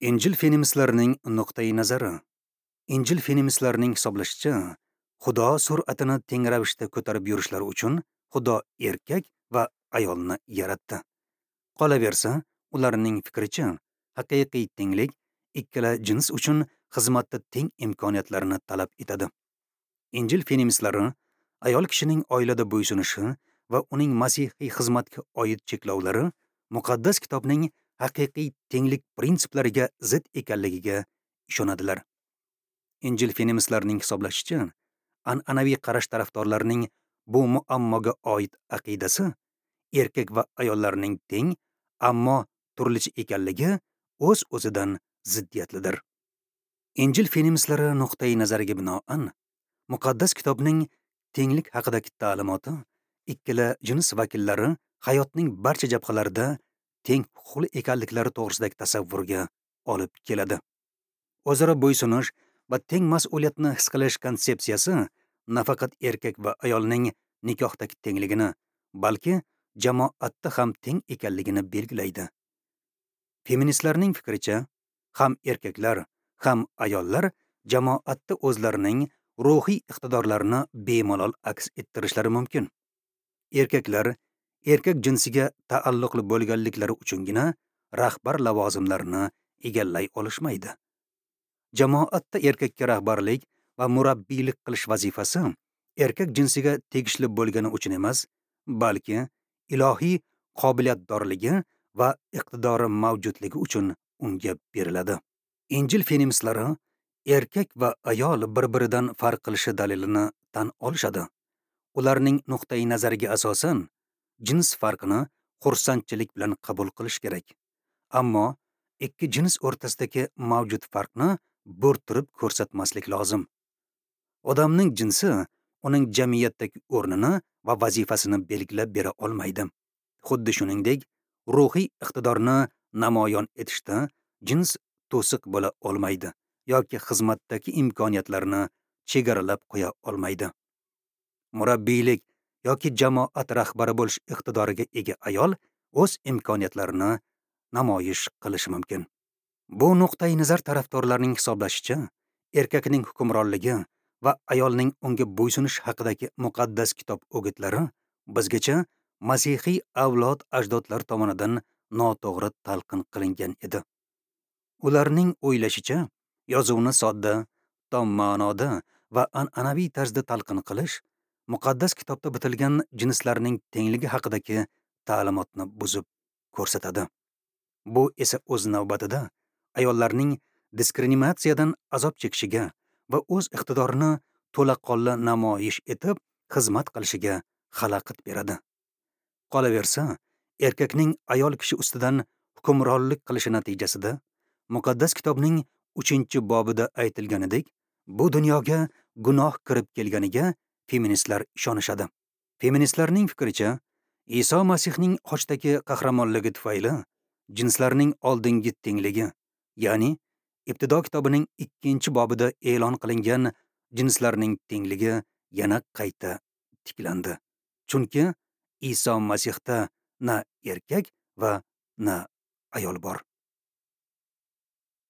Injil feministlarining nuqtai nazari. Injil feministlarining hisoblashicha, Xudo sur'atini teng ravishda ko'tarib yurishlari uchun Xudo erkak va ayolni yaratdi. Qolaversa, ularning fikricha, haqiqiy tenglik ikkala jins uchun xizmatda teng imkoniyatlarni talab etadi. Injil feministlari ayol kishining oilada bo'ysunishi va uning masihiy xizmatga oid cheklovlari muqaddas kitobning haqiqiy tenglik prinsiplariga zid ekanligiga ishonadilar. Injil feministlarining hisoblashicha, an'anaviy qarash tarafdorlarining bu muammoga oid aqidasi erkak va ayollarning teng, ammo turlicha ekanligi o'z-o'zidan ziddiyatlidir. Injil feministlari nuqtai nazariga binoan, muqaddas kitobning tenglik haqidagi ta'limoti ikkala jins vakillari hayotning barcha jabhalarida teng huquqli ekanliklari to'g'risidagi tasavvurga olib keladi. O'zaro bo'ysunish va teng mas'uliyatni his qilish konsepsiyasi nafaqat erkak va ayolning nikohdagi tengligini, balki jamoatda ham teng ekanligini belgilaydi. Feministlarning fikricha, ham erkaklar, ham ayollar jamoatda o'zlarining ruhiy iqtidorlarini bemalol aks ettirishlari mumkin. Erkaklar erkak jinsiga taalluqli bo'lganliklari uchungina rahbar lavozimlarini egallay olishmaydi. Jamoatda erkakka rahbarlik va murabbiylik qilish vazifasi erkak jinsiga tegishli bo'lgani uchun emas, balki ilohiy qobiliyatdorligi va iqtidori mavjudligi uchun unga beriladi. Injil feministlari erkak va ayol bir-biridan farq qilishi dalilini tan olishadi. Ularning nuqtai nazariga asosan jins farqini xursandchilik bilan qabul qilish kerak. Ammo ikki jins o'rtasidagi mavjud farqni bo'rttirib ko'rsatmaslik lozim. Odamning jinsi uning jamiyatdagi o'rnini va vazifasini belgilab bera olmaydi. Xuddi shuningdek, ruhiy iqtidorni namoyon etishda jins to'siq bo'la olmaydi yoki xizmatdagi imkoniyatlarni chegaralab qo'ya olmaydi. Murabbiylik yoki jamoat rahbari bo'lish iqtidoriga ega ayol o'z imkoniyatlarini namoyish qilishi mumkin. Bu nuqtai nazar tarafdorlarining hisoblashicha, erkakning hukmronligi va ayolning unga bo'ysunish haqidagi muqaddas kitob o'gitlari bizgacha masihiy avlod ajdodlar tomonidan noto'g'ri talqin qilingan edi. Ularning o'ylashicha, yozuvni sodda, tom ma'noda va an'anaviy tarzda talqin qilish muqaddas kitobda bitilgan jinslarning tengligi haqidagi ta'limotni buzib ko'rsatadi. Bu esa o'z navbatida ayollarning diskriminatsiyadan azob chekishiga va o'z iqtidorini to'laqonli namoyish etib xizmat qilishiga xalaqit beradi. Qolaversa, erkakning ayol kishi ustidan hukmronlik qilishi natijasida muqaddas kitobning 3-bobida aytilganidek, bu dunyoga gunoh kirib kelganiga feministlar ishonishadi. Feministlarning fikricha, Iso Masihning xochdagi qahramonligi tufayli jinslarning oldingi tengligi, ya'ni Ibtido kitobining 2-bobida e'lon qilingan jinslarning tengligi yana qayta tiklandi. Chunki Iso Masihda na erkak va na ayol bor.